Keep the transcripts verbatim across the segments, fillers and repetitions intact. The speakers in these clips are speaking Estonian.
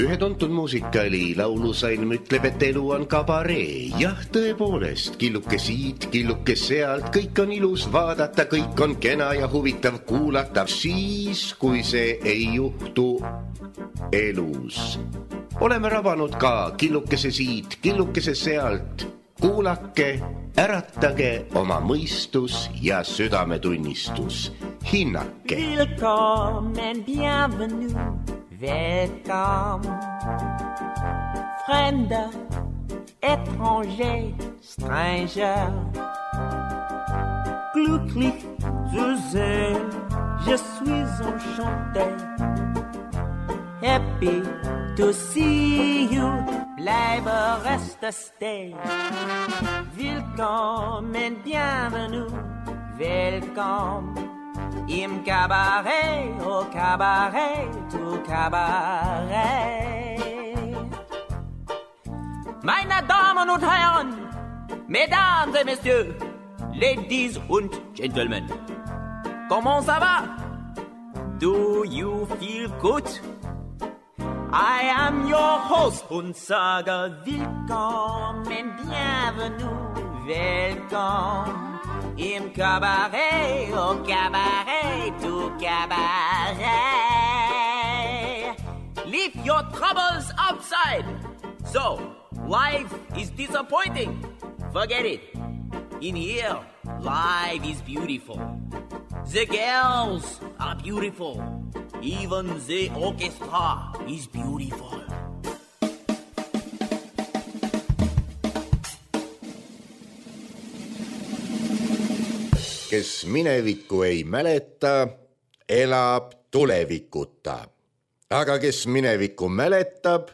Ühe tuntud muusikali laulusalm ütleb, et elu on kabaree. Jah, tõepoolest, killuke siit, killuke sealt, kõik on ilus vaadata, kõik on kena ja huvitav kuulata, siis, kui see ei juhtu elus. Oleme rabanud ka killukese siit, killukese sealt. Kuulake, äratage oma mõistus ja südametunnistus. Hinnake. Willkommen, bienvenue, welcome. Fremde, étranger, stranger. Glücklich zu sehen, je suis enchanté. Happy to see you, bleibe reste stay. Willkommen, bienvenue, welcome. Im Kabarett, au Kabarett, au Kabarett. Meine Damen und Herren, Mesdames et Messieurs, Ladies und Gentlemen, comment ça va? Do you feel good? I am your host und sage willkommen, bienvenue, welcome. Im Kabarett, au Kabarett, au Kabarett. Leave your troubles outside. So, life is disappointing. Forget it. In here, life is beautiful. The girls are beautiful. Even the orchestra is beautiful. Kes minevikku ei mäleta, elab tulevikuta. Aga kes minevikku mäletab,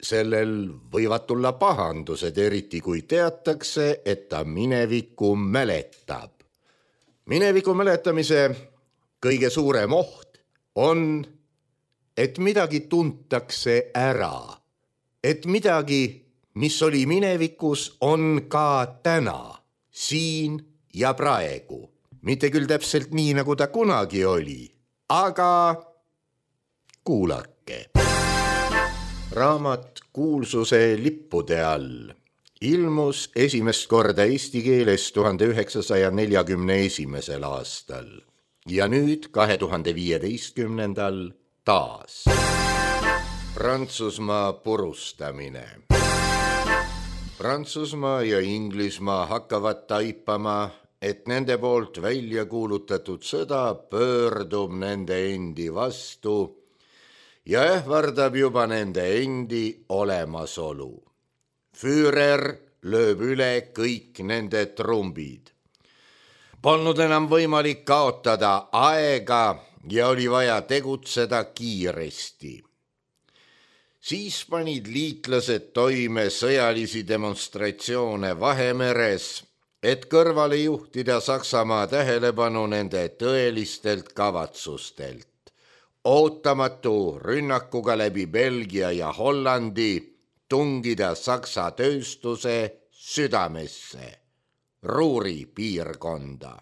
sellel võivad tulla pahandused, eriti kui teatakse, et ta minevikku mäletab. Mineviku mäletamise kõige suurem oht on, et midagi tuntakse ära. Et midagi, mis oli minevikus, on ka täna, siin ja praegu. Mitte küll täpselt nii, nagu ta kunagi oli, aga kuulake. Raamat Kuulsuse lippude all ilmus esimest korda eesti keeles tuhande üheksasaja neljakümne esimesel aastal ja nüüd kahe tuhande viieteistkümnendal taas. Prantsusmaa purustamine. Prantsusmaa ja Inglismaa hakkavad taipama, et nende poolt välja kuulutatud sõda pöördub nende endi vastu ja ähvardab juba nende endi olemasolu. Führer lööb üle kõik nende trumbid. Polnud enam võimalik kaotada aega ja oli vaja tegutseda kiiresti. Siis panid liitlased toime sõjalisi demonstratsioone Vahemeres, et kõrvale juhtida Saksamaa tähelepanu nende tõelistelt kavatsustelt. Ootamatu rünnakuga läbi Belgia ja Hollandi tungida Saksa tööstuse südamesse, Ruuri piirkonda.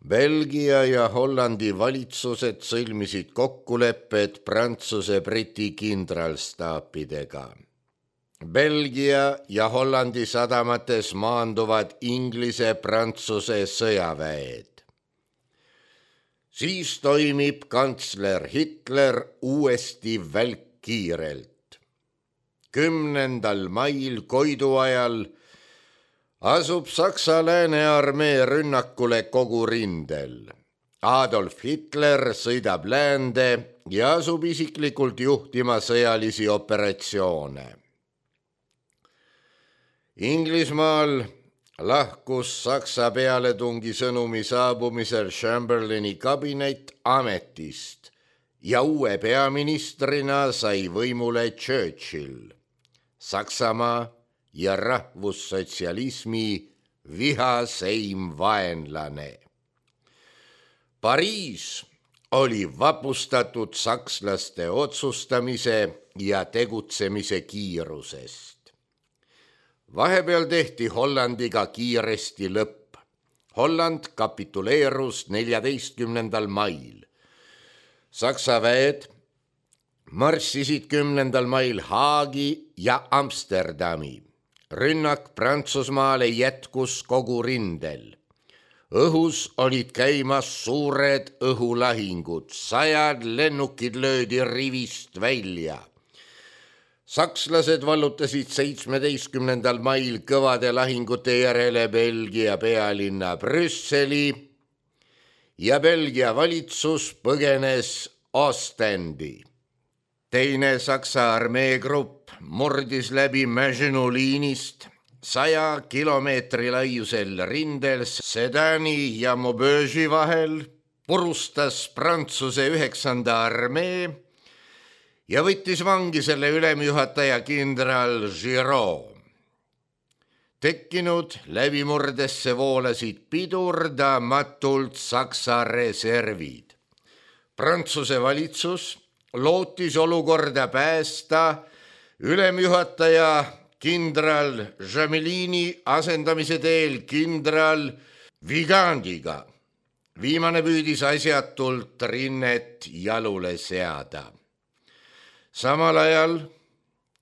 Belgia ja Hollandi valitsused sõlmisid kokkulepped Prantsuse-Briti kindralstaapidega. Belgia ja Hollandi sadamates maanduvad Inglise-Prantsuse sõjaväed. Siis toimib kantsler Hitler uuesti välkkiirelt. Kümnendal mail Koidu ajal asub Saksa läänearmee rünnakule kogu rindel. Adolf Hitler sõidab läände ja asub isiklikult juhtima sõjalisi operatsioone. Inglismaal lahkus Saksa pealetungi sõnumi saabumisel Chamberlaini kabinet ametist ja uue peaministrina sai võimule Churchill, Saksamaa ja rahvussotsialismi vihaseim vaenlane. Pariis oli vapustatud sakslaste otsustamise ja tegutsemise kiirusest. Vahepeal tehti Hollandiga kiiresti lõpp. Holland kapituleerus neljateistkümnendal mail. Saksa väed marssisid kümnendal mail Haagi ja Amsterdami. Rünnak Prantsusmaale jätkus kogu rindel. Õhus olid käimas suured õhulahingud, sajad lennukid löödi rivist välja. Sakslased vallutasid seitsmeteistkümnendal mail kõvade lahingute järele Belgia pealinna Brüsseli ja Belgia valitsus põgenes Ostendi. Teine Saksa armeegrupp murdis läbi Maginot liinist saja kilomeetri laiusel rindel Sedani ja Maubeuge'i vahel, purustas Prantsuse üheksanda armee ja võttis vangi selle ülemjuhataja kindral Giraud. Tekkinud läbimurdesse voolasid pidurdamatult Saksa reservid. Prantsuse valitsus lootis olukorda päästa ülemjuhataja kindral Jamelini asendamise teel kindral Vigandiga. Viimane püüdis asjatult rinnet jalule seada. Samal ajal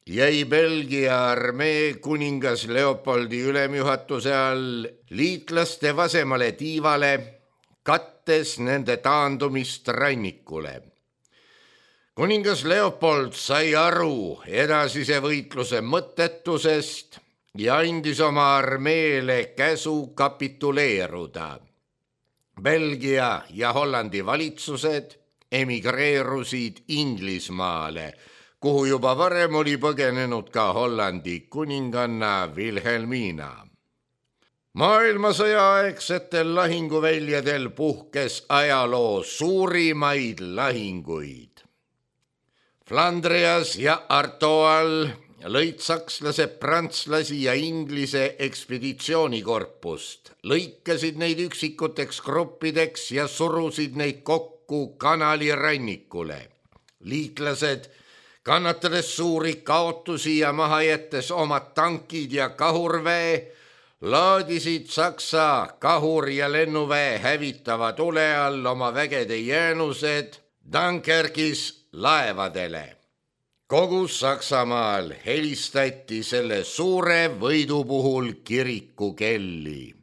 jäi Belgia armee kuningas Leopoldi ülemjuhatuse all liitlaste vasemale tiivale, kattes nende taandumist rannikule. Kuningas Leopold sai aru edasise võitluse mõttetusest ja andis oma armeele käsu kapituleeruda. Belgia ja Hollandi valitsused emigreerusid Inglismaale, kuhu juba varem oli põgenenud ka Hollandi kuninganna Wilhelmina. Maailmasõja aegsetel lahinguväljadel puhkes ajaloo suurimaid lahinguid. Flandrias ja Artoal lõid sakslased prantslasi ja inglise ekspeditsioonikorpust, lõikasid neid üksikuteks gruppideks ja surusid neid kokku kanali rannikule. Liitlased, kannatades suuri kaotusi ja maha jättes omad tankid ja kahurväe, laadisid Saksa kahur- ja lennuväe hävitava tule all oma vägede jäänused Dunkerkis laevadele. Kogu Saksamaal helistati selle suure võidu puhul kirikukelli.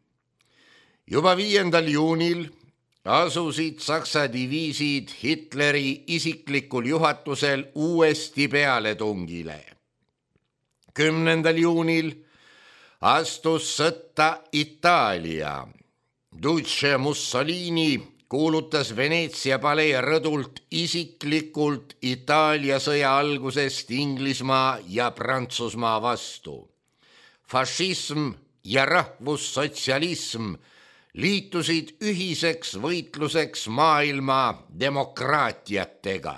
Juba viiendal juunil asusid Saksa diviisid Hitleri isiklikul juhatusel uuesti pealetungile. Kümnendal juunil astus sõtta Itaalia. Duce Mussolini kuulutas Veneetsia palee rõdult isiklikult Itaalia sõja algusest Inglismaa ja Prantsusmaa vastu. Fašism ja rahvussotsialism liitusid ühiseks võitluseks maailma demokraatiatega.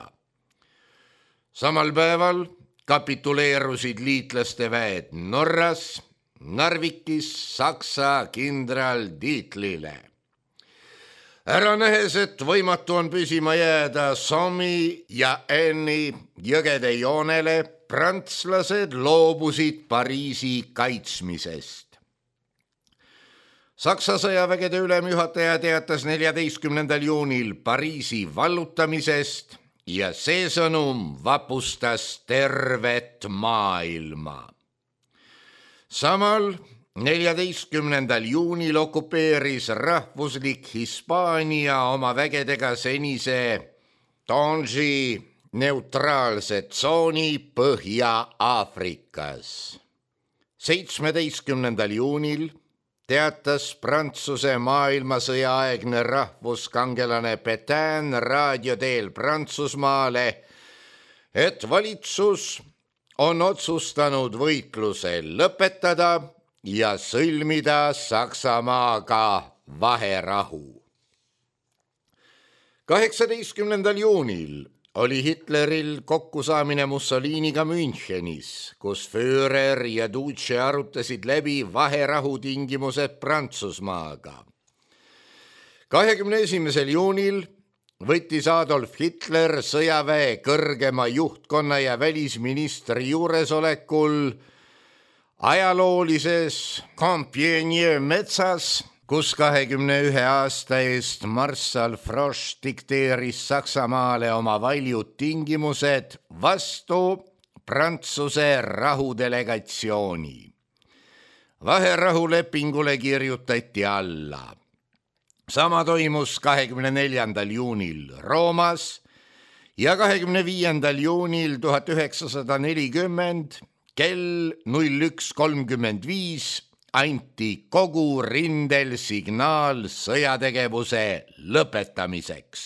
Samal päeval kapituleerusid liitlaste väed Norras, Narvikis Saksa kindral Dietlile. Ära nähes, et võimatu on püsima jääda Sommi ja Enni jõgede joonele, prantslased loobusid Pariisi kaitsmisest. Saksa sõjavägede ülemjuhataja teatas neljateistkümnendal juunil Pariisi vallutamisest ja see sõnum vapustas tervet maailma. Samal neljateistkümnendal juunil okupeeris rahvuslik Hispaania oma vägedega senise Tangi neutraalse tsooni Põhja-Aafrikas. seitsmeteistkümnendal juunil teatas Prantsuse maailmasõjaaegne rahvuskangelane Pétain raadio teel Prantsusmaale, et valitsus on otsustanud võitluse lõpetada ja sõlmida Saksamaaga vaherahu. kaheksateistkümnendal juunil oli Hitleril kokkusaamine Mussoliniga Münchenis, kus Führer ja Duce arutasid läbi vaherahu tingimused Prantsusmaaga. kahekümne esimesel juunil võttis Adolf Hitler sõjaväe kõrgema juhtkonna ja välisministri juuresolekul ajaloolises Compiègne metsas, kus kahekümne ühe aasta eest marssal Frosch dikteeris Saksamaale oma valjud tingimused vastu Prantsuse rahudelegatsiooni. Vaherahulepingule kirjutati alla. Sama toimus kahekümne neljandal juunil Roomas ja kahekümne viiendal juunil tuhat üheksasada nelikümmend kell null üks kolmkümmend viis anti kogu rindel signaal sõjategevuse lõpetamiseks.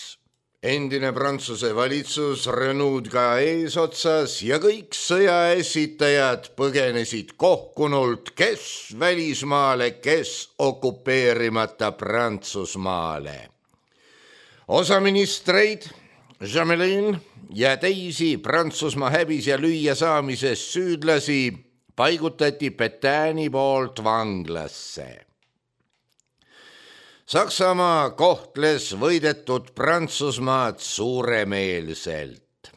Endine Prantsuse valitsus Renaud ka eesotsas ja kõik sõja esitajad põgenesid kohkunult, kes välismaale, kes okupeerimata Prantsusmaale. Osa ministreid, Jamelin ja teisi Prantsusmaa häbis ja lüüa saamises süüdlasi paigutati Pétaini poolt vanglasse. Saksamaa kohtles võidetud Prantsusmaad suuremeelselt.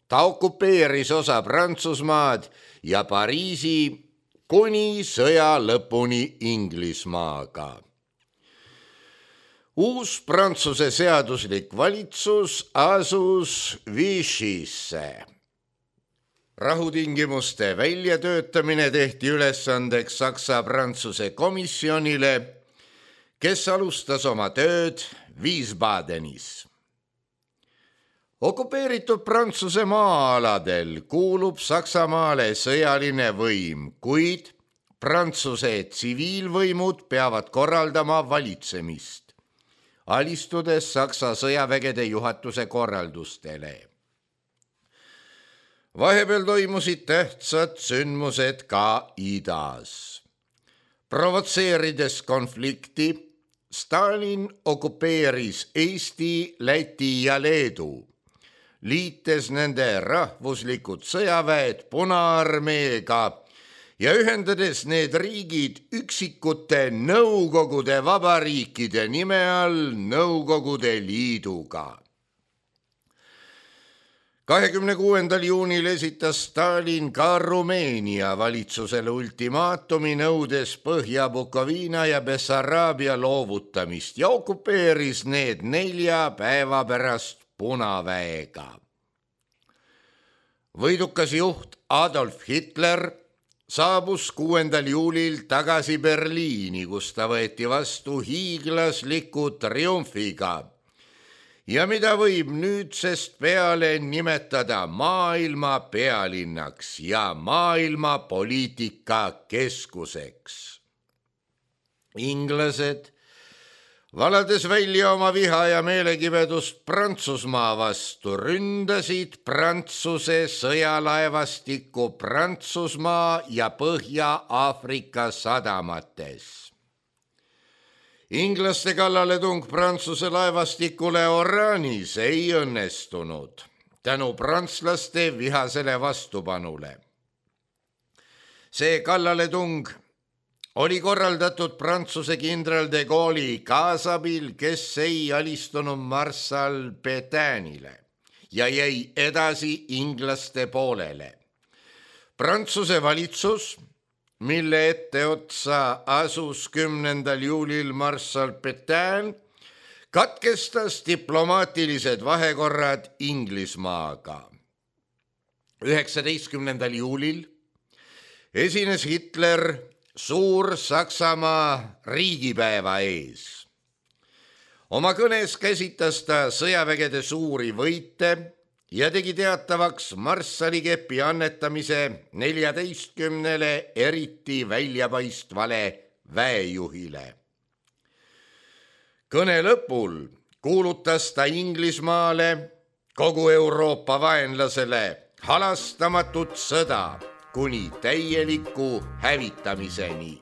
Ta okupeeris osa Prantsusmaad ja Pariisi kuni sõja lõpuni Inglismaaga. Uus Prantsuse seaduslik valitsus asus Vichysse. Rahutingimuste väljatöötamine tehti ülesandeks Saksa-Prantsuse komisjonile, kes alustas oma tööd Wiesbadenis. Okupeeritud Prantsuse maa-aladel kuulub Saksamaale sõjaline võim, kuid Prantsuse tsiviilvõimud peavad korraldama valitsemist, alistudes Saksa sõjavägede juhatuse korraldustele. Vahepeal toimusid tähtsad sündmused ka idas. Provotseerides konflikti, Stalin okupeeris Eesti, Läti ja Leedu, liites nende rahvuslikud sõjaväed Punaarmeega ja ühendades need riigid üksikute Nõukogude vabariikide nime all Nõukogude Liiduga. kahekümne kuuendal juunil esitas Stalin ka Rumeenia valitsusele ultimaatumi nõudes Põhja-Bukoviina ja Bessaraabia loovutamist ja okupeeris need nelja päeva pärast Punaväega. Võidukas juht Adolf Hitler saabus kuuendal juulil tagasi Berliini, kus ta võeti vastu hiiglasliku triumfiga ja mida võib nüüdsest peale nimetada maailma pealinnaks ja maailma poliitika keskuseks. Inglased, valades välja oma viha ja meelekibedust Prantsusmaa vastu, ründasid Prantsuse sõjalaevastikku Prantsusmaa ja Põhja-Aafrika sadamates. Inglaste kallaletung Prantsuse laevastikule Oraanis ei õnnestunud tänu prantslaste vihasele vastupanule. See kallaletung oli korraldatud Prantsuse kindral de Gaulle'i kaasabil, kes ei alistunud marssal Pétainile ja jäi edasi inglaste poolele. Prantsuse valitsus, mille etteotsa asus kümnendal juulil marssal Pétain, katkestas diplomaatilised vahekorrad Inglismaaga. üheksateistkümnendal juulil esines Hitler Suur Saksamaa riigipäeva ees. Oma kõnes käsitas ta sõjavägede suuri võite ja tegi teatavaks marssallikepi annetamise neljateistkümnele eriti väljapaistvale väejuhile. Kõne lõpul kuulutas ta Inglismaale, kogu Euroopa vaenlasele, halastamatut sõda kuni täieliku hävitamiseni.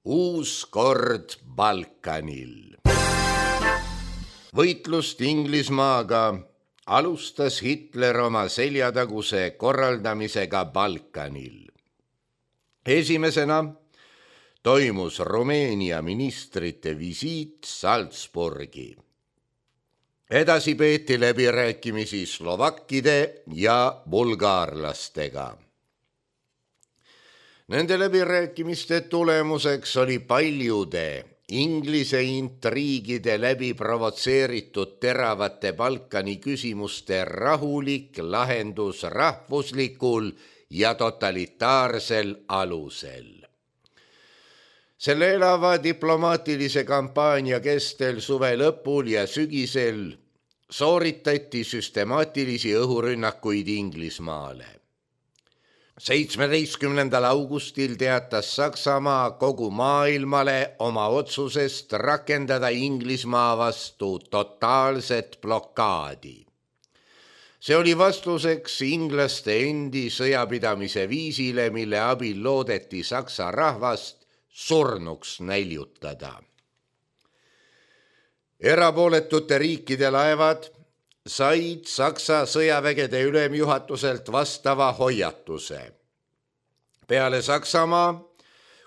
Uus kord Balkanil. Võitlust Inglismaaga alustas Hitler oma seljataguse korraldamisega Balkanil. Esimesena toimus Rumeenia ministrite visiit Salzburgi. Edasi peeti läbirääkimisi slovakkide ja bulgaarlastega. Nende läbirääkimiste tulemuseks oli paljude Inglise intriigide läbi provotseeritud teravate Balkani küsimuste rahulik lahendus rahvuslikul ja totalitaarsel alusel. Selle elava diplomaatilise kampaania kestel suve lõpul ja sügisel sooritati süstemaatilisi õhurünnakuid Inglismaale. seitsmeteistkümnendal augustil teatas Saksamaa kogu maailmale oma otsusest rakendada Inglismaa vastu totaalset blokaadi. See oli vastuseks inglaste endi sõjapidamise viisile, mille abil loodeti Saksa rahvast surnuks näljutada. Erapooletute riikide laevad said Saksa sõjavägede ülemjuhatuselt vastava hoiatuse. Peale Saksamaa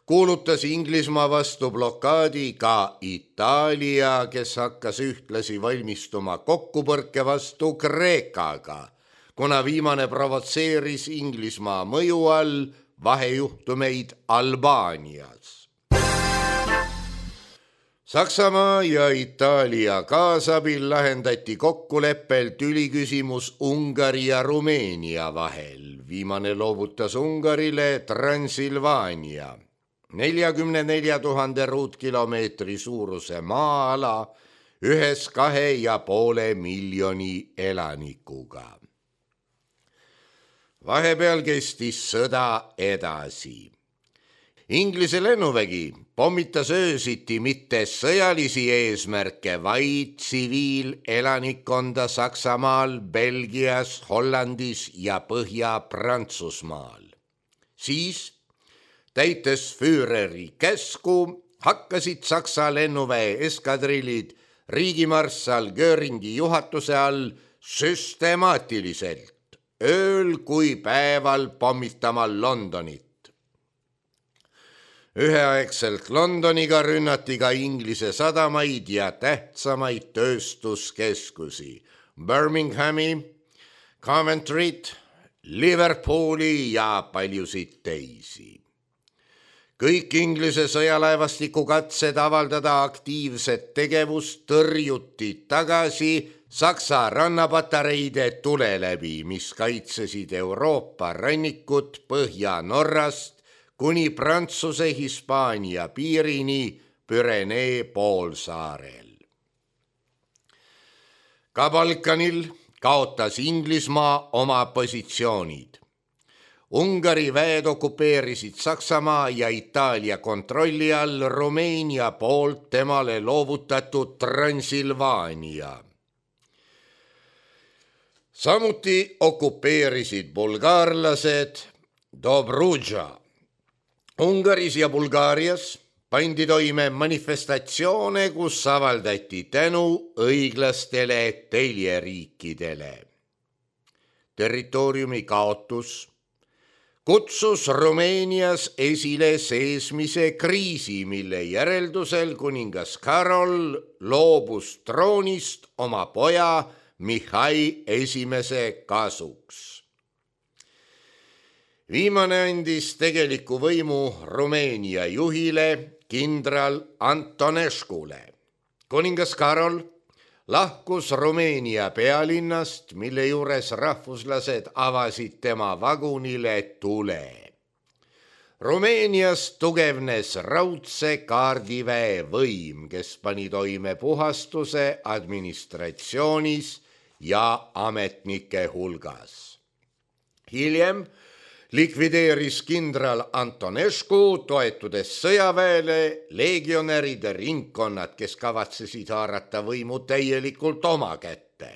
kuulutas Inglismaa vastu blokaadi ka Itaalia, kes hakkas ühtlasi valmistuma kokkupõrke vastu Kreekaga, kuna viimane provotseeris Inglismaa mõju all vahejuhtumeid Albaanias. Saksamaa ja Itaalia kaasabil lahendati kokkuleppel tüliküsimus Ungari ja Rumeenia vahel. Viimane loovutas Ungarile Transilvaania, neljakümne nelja tuhande ruutkilomeetri suuruse maa-ala ühes kahe ja poole miljoni elanikuga. Vahepeal kestis sõda edasi. Inglise lennuvägi pommitas öösiti mitte sõjalisi eesmärke, vaid tsiviilelanikkonda Saksamaal, Belgias, Hollandis ja Põhja-Prantsusmaal. Siis, täites Führeri käsku, hakkasid Saksa lennuväe eskadrillid riigimarssal Göringi juhatuse all süstemaatiliselt ööl kui päeval pommitama Londonit. Üheaegselt Londoniga rünnati ka Inglise sadamaid ja tähtsamaid tööstuskeskusi, Birminghami, Coventryt, Liverpooli ja paljusid teisi. Kõik Inglise sõjalaevastiku katsed avaldada aktiivset tegevust tõrjuti tagasi Saksa rannapatareide tule läbi, mis kaitsesid Euroopa rannikut Põhja-Norrast kuni Prantsuse-Hispaania piirini Pürenee poolsaarel. Ka Balkanil kaotas Inglismaa oma positsioonid. Ungari väed okupeerisid Saksamaa ja Itaalia kontrolli all Rumeenia poolt temale loovutatud Transilvaania. Samuti okupeerisid bulgaarlased Dobruja. Ungaris ja Bulgaarias pandi toime manifestatsioone, kus avaldati tänu õiglastele teljeriikidele. Territooriumi kaotus kutsus Rumeenias esile seesmise kriisi, mille järeldusel kuningas Karol loobus troonist oma poja Mihhail esimese kasuks. Viimane andis tegeliku võimu Rumeenia juhile kindral Antonescule. Kuningas Karol lahkus Rumeenia pealinnast, mille juures rahvuslased avasid tema vagunile tule. Rumeenias tugevnes raudse kaardiväe võim, kes pani toime puhastuse administratsioonis ja ametnike hulgas. Hiljem likvideeris kindral Antonescu, toetudes sõjaväele, legionäride ringkonnad, kes kavatsesid haarata võimu täielikult oma kätte.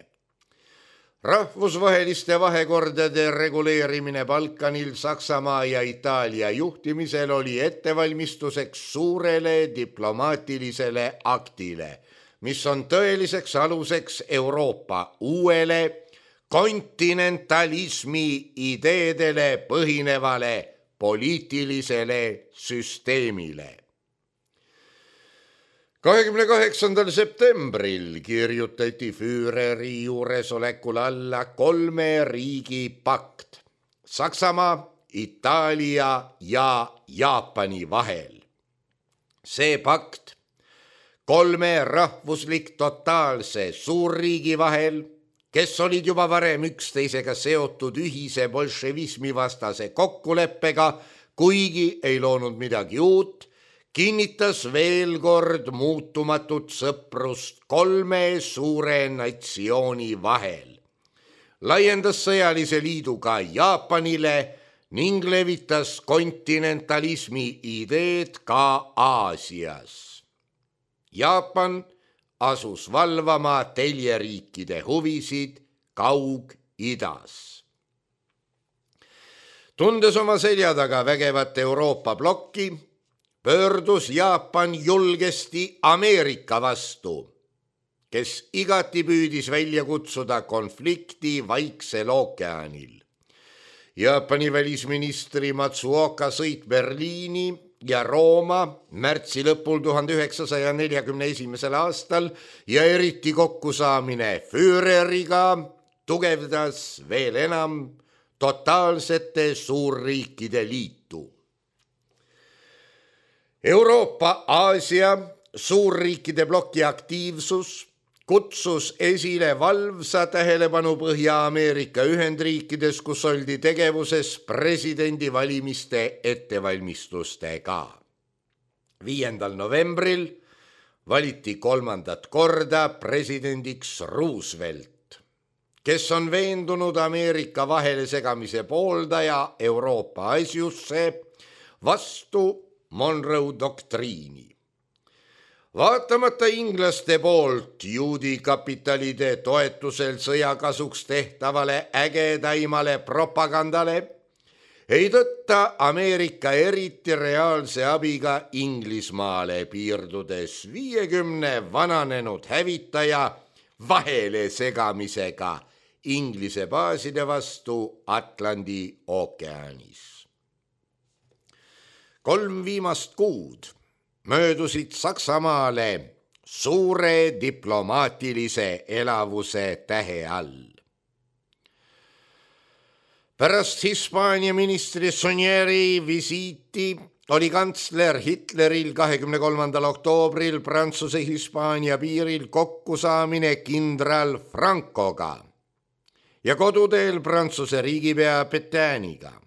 Rahvusvaheliste vahekordade reguleerimine Balkanil Saksamaa ja Itaalia juhtimisel oli ettevalmistuseks suurele diplomaatilisele aktile, mis on tõeliseks aluseks Euroopa uuele kontinentalismi ideedele põhinevale poliitilisele süsteemile. kahekümne kaheksandal septembril kirjutati Füüreri juuresolekul alla kolme riigi pakt Saksamaa, Itaalia ja Jaapani vahel. See pakt kolme rahvuslik totaalse suurriigi vahel, kes olid juba varem üksteisega seotud ühise bolševismi vastase kokkuleppega, kuigi ei loonud midagi uut, kinnitas veel kord muutumatut sõprust kolme suure natsiooni vahel, laiendas sõjalise liidu ka Jaapanile ning levitas kontinentalismi ideed ka Aasias. Jaapan asus valvama teljeriikide huvisid Kaug-Idas. Tundes oma selja taga vägevat Euroopa blokki, pöördus Jaapan julgesti Ameerika vastu, kes igati püüdis välja kutsuda konflikti Vaiksel ookeanil. Jaapani välisministri Matsuoka sõit Berliini ja Rooma märtsi lõpul tuhande üheksasaja neljakümne esimesel aastal ja eriti kokkusaamine Füüreriga tugevdas veel enam totaalsete suurriikide liitu. Euroopa, Aasia suurriikide bloki aktiivsus kutsus esile valvsa tähelepanu Põhja-Ameerika Ühendriikides, kus oldi tegevuses presidendivalimiste ettevalmistustega. viiendal novembril valiti kolmandat korda presidendiks Roosevelt, kes on veendunud Ameerika vahele segamise pooldaja Euroopa asjusse vastu Monroe doktriini. Vaatamata inglaste poolt juudi kapitalide toetusel sõjakasuks tehtavale ägedaimale propagandale, ei tõtta Ameerika eriti reaalse abiga Inglismaale, piirdudes viiekümne vananenud hävitaja vahele segamisega Inglise baaside vastu Atlandi ookeanis. Kolm viimast kuud möödusid Saksamaale suure diplomaatilise elavuse tähe all. Pärast Hispaania ministri Sonieri visiiti oli kantsler Hitleril kahekümne kolmandal oktoobril Prantsuse-Hispaania piiril kokkusaamine kindral Francoga ja koduteel Prantsuse riigipea Pétainiga.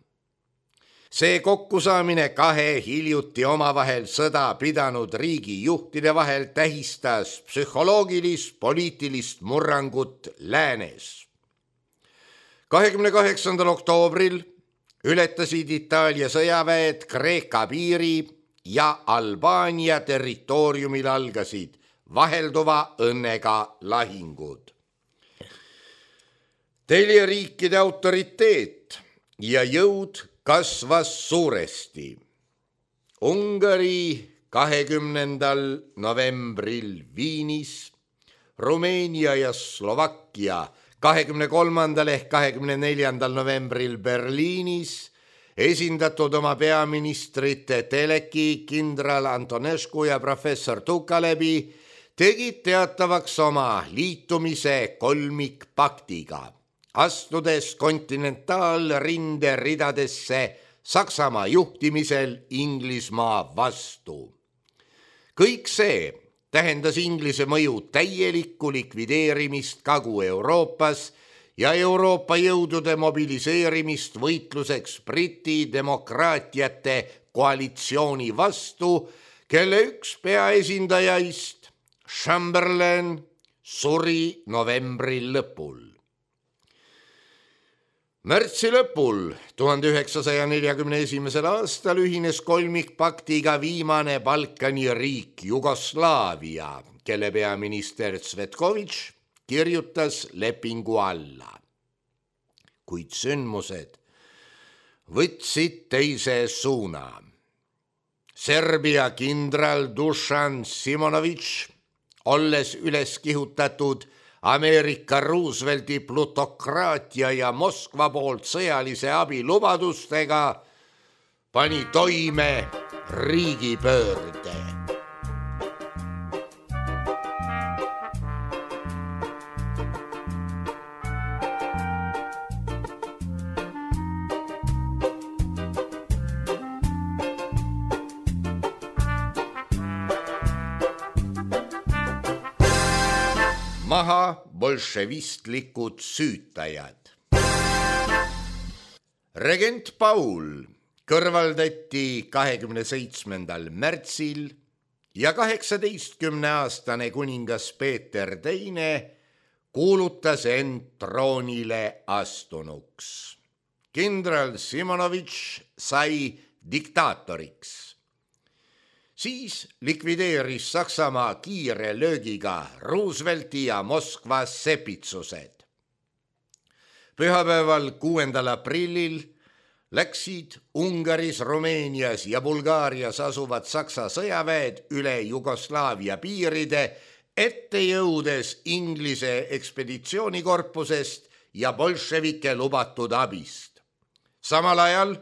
See kokkusaamine kahe hiljuti omavahel sõda pidanud riigi juhtide vahel tähistas psühholoogilist poliitilist murrangut läänes. kahekümne kaheksandal oktoobril ületasid Itaalia sõjaväed Kreeka piiri ja Albaania territooriumil algasid vahelduva õnnega lahingud. Teljeriikide autoriteet ja jõud kasvas suuresti. Ungari kahekümnendal novembril Viinis, Rumeenia ja Slovakkia kahekümne kolmandal ehk kahekümne neljandal novembril Berliinis esindatud oma peaministrite Teleki, kindral Antonescu ja professor Tukalebi tegid teatavaks oma liitumise kolmikpaktiga, astudes kontinentaalrinde ridadesse Saksamaa juhtimisel Inglismaa vastu. Kõik see tähendas Inglise mõju täielikku likvideerimist Kagu-Euroopas ja Euroopa jõudude mobiliseerimist võitluseks Briti demokraatiate koalitsiooni vastu, kelle üks peaesindajaist, Chamberlain, suri novembri lõpul. Märtsi lõpul tuhande üheksasaja neljakümne esimesel aastal ühines kolmikpaktiga viimane Balkani riik Jugoslaavia, kelle peaminister Cvetković kirjutas lepingu alla. Kuid sündmused võtsid teise suuna. Serbia kindral Dušan Simonović, olles üles kihutatud Ameerika Roosevelti plutokraatia ja Moskva poolt sõjalise abi lubadustega, pani toime riigipöörde. maha bolševistlikud süütajad. Regent Paul kõrvaldati kahekümne seitsmendal märtsil ja kaheksateistkümneaastane kuningas Peeter teine kuulutas end troonile astunuks. Kindral Simonovitš sai diktaatoriks. Siis likvideeris Saksamaa kiire löögiga Roosevelti ja Moskva sepitsused. Pühapäeval kuuendal aprillil läksid Ungaris, Rumeenias ja Bulgaarias asuvad Saksa sõjaväed üle Jugoslaavia piiride, ette jõudes Inglise ekspeditsioonikorpusest ja bolševike lubatud abist. Samal ajal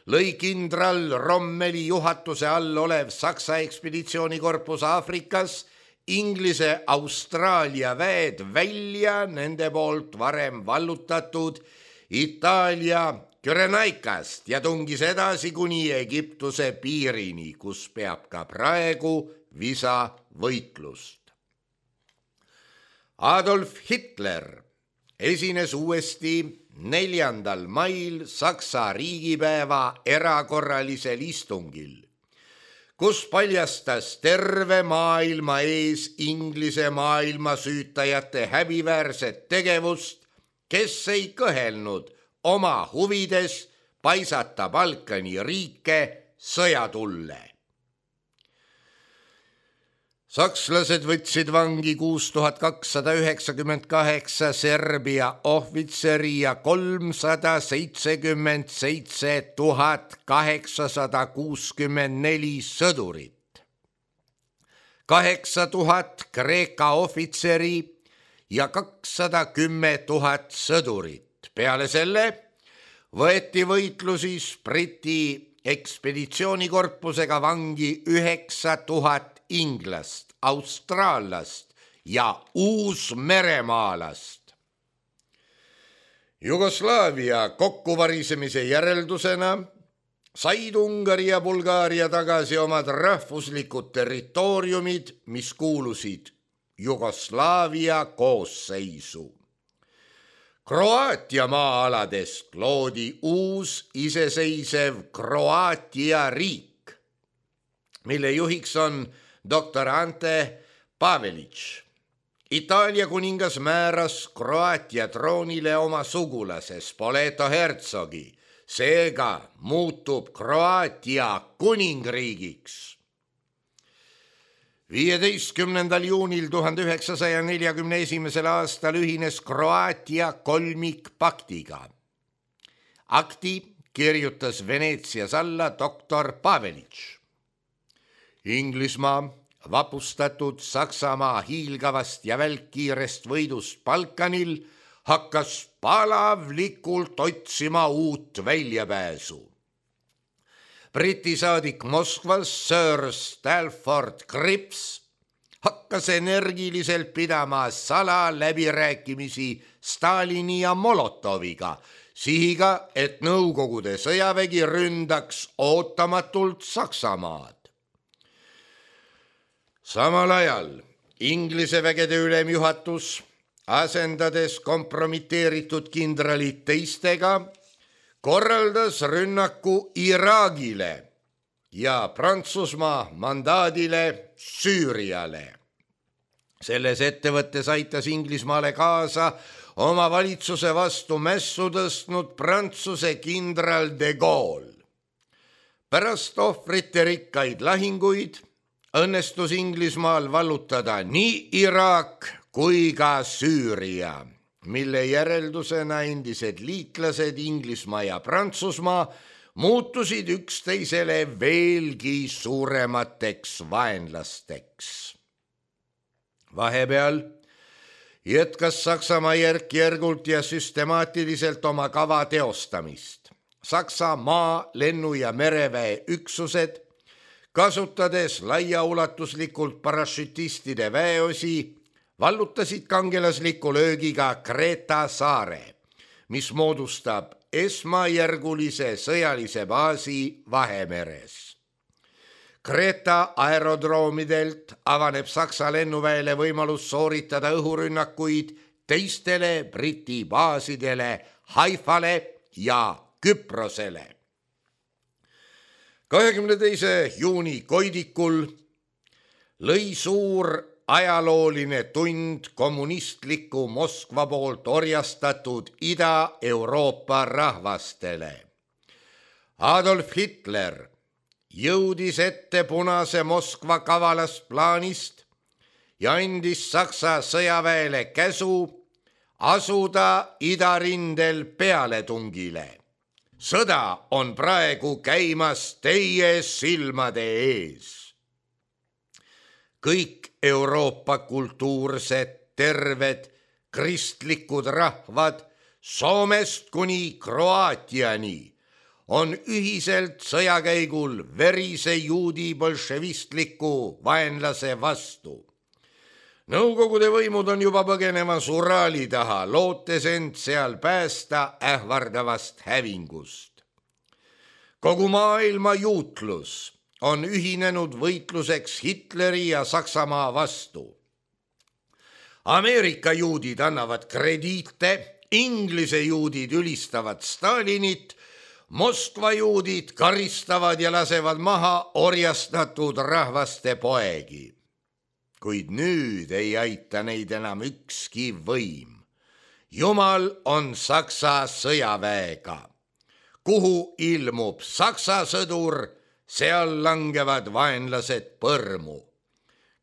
lõi kindral Rommeli juhatuse all olev Saksa ekspeditsioonikorpus Aafrikas Inglise Austraalia väed välja nende poolt varem vallutatud Itaalia Kürenaikast ja tungis edasi kuni Egiptuse piirini, kus peab ka praegu visavõitlust. Adolf Hitler esines uuesti neljandal mail Saksa riigipäeva erakorralisel istungil, kus paljastas terve maailma ees Inglise maailmasüütajate häbiväärset tegevust, kes ei kõhelnud oma huvides paisata Balkani riike sõjatulle. Sakslased võtsid vangi kuus tuhat kakssada üheksakümmend kaheksa Serbia ohvitseri ja kolmsada seitsekümmend seitse tuhat kaheksasada kuuskümmend neli sõdurit, kaheksa tuhat Kreeka ohvitseri ja kakssada kümme tuhat sõdurit. Peale selle võeti võitlusis Briti ekspeditsioonikorpusega vangi üheksa tuhat inglast, austraallast ja uusmeremaalast. Jugoslaavia kokkuvarisemise järeldusena said Ungari ja Bulgaaria tagasi omad rahvuslikud territooriumid, mis kuulusid Jugoslaavia koosseisu. Kroaatia maa-aladest loodi uus iseseisev Kroaatia riik, mille juhiks on doktor Ante Pavelić. Itaalia kuningas määras Kroaatia troonile oma sugulase Spoleto hertsogi, seega muutub Kroaatia kuningriigiks. viieteistkümnendal juunil tuhande üheksasaja neljakümne esimesel aastal ühines Kroaatia kolmikpaktiga. Akti kirjutas Veneetsias alla doktor Pavelić. Inglismaa, vapustatud Saksamaa hiilgavast ja välkkiirest võidust Balkanil, hakkas palavlikult otsima uut väljapääsu. Briti saadik Moskvas Sir Stalford Cripps hakkas energiliselt pidama salaläbirääkimisi Stalini ja Molotoviga, sihiga, et Nõukogude sõjavägi ründaks ootamatult Saksamaad. Samal ajal Inglise vägede ülemjuhatus, asendades kompromiteeritud kindralid teistega, korraldas rünnaku Iraagile ja Prantsusmaa mandaadile Süüriale. Selles ettevõttes aitas Inglismaale kaasa oma valitsuse vastu mässu tõstnud Prantsuse kindral de Gaulle. Pärast ohvrite rikkaid lahinguid õnnestus Inglismaal vallutada nii Iraak kui ka Süüria, mille järeldusena endised liitlased Inglismaa ja Prantsusmaa muutusid üksteisele veelgi suuremateks vaenlasteks. Vahepeal jätkas Saksamaa järk-järgult ja süstemaatiliselt oma kava teostamist. Saksa maa, lennu- ja mereväe üksused, kasutades laiaulatuslikult parašütistide väeosi, vallutasid kangelasliku löögiga Kreta saare, mis moodustab esmajärgulise sõjalise baasi Vahemeres. Kreta aerodroomidelt avaneb Saksa lennuväele võimalus sooritada õhurünnakuid teistele Briti baasidele Haifale ja Küprosele. kahekümne teise juuni Koidikul lõi suur ajalooline tund kommunistliku Moskva poolt orjastatud Ida-Euroopa rahvastele. Adolf Hitler jõudis ette punase Moskva kavalast plaanist ja andis Saksa sõjaväele käsu asuda idarindel pealetungile. Sõda on praegu käimas teie silmade ees. Kõik Euroopa kultuursed, terved, kristlikud rahvad Soomest kuni Kroaatiani on ühiselt sõjakäigul verise juudi bolševistliku vaenlase vastu. Nõukogude võimud on juba põgenemas Uraali taha, lootes end seal päästa ähvardavast hävingust. Kogu maailma juutlus on ühinenud võitluseks Hitleri ja Saksamaa vastu. Ameerika juudid annavad krediite, Inglise juudid ülistavad Stalinit, Moskva juudid karistavad ja lasevad maha orjastatud rahvaste poegi. Kuid nüüd ei aita neid enam ükski võim. Jumal on Saksa sõjaväega. Kuhu ilmub Saksa sõdur, seal langevad vaenlased põrmu.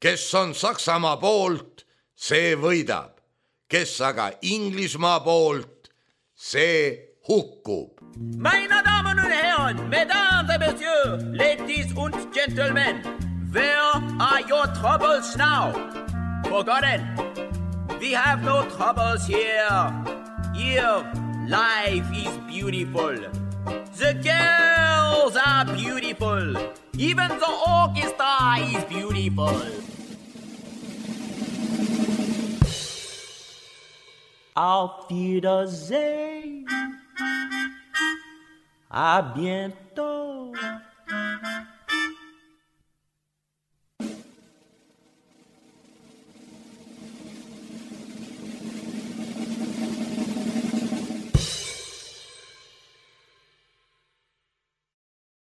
Kes on Saksamaa poolt, see võidab. Kes aga Inglismaa poolt, see hukkub. Meine Damen und Herren, Mesdames et Messieurs, Ladies und Gentlemen, where are your troubles now? Forgotten. We have no troubles here. Here, life is beautiful. The girls are beautiful. Even the orchestra is beautiful. Auf Wiedersehen. À bientôt.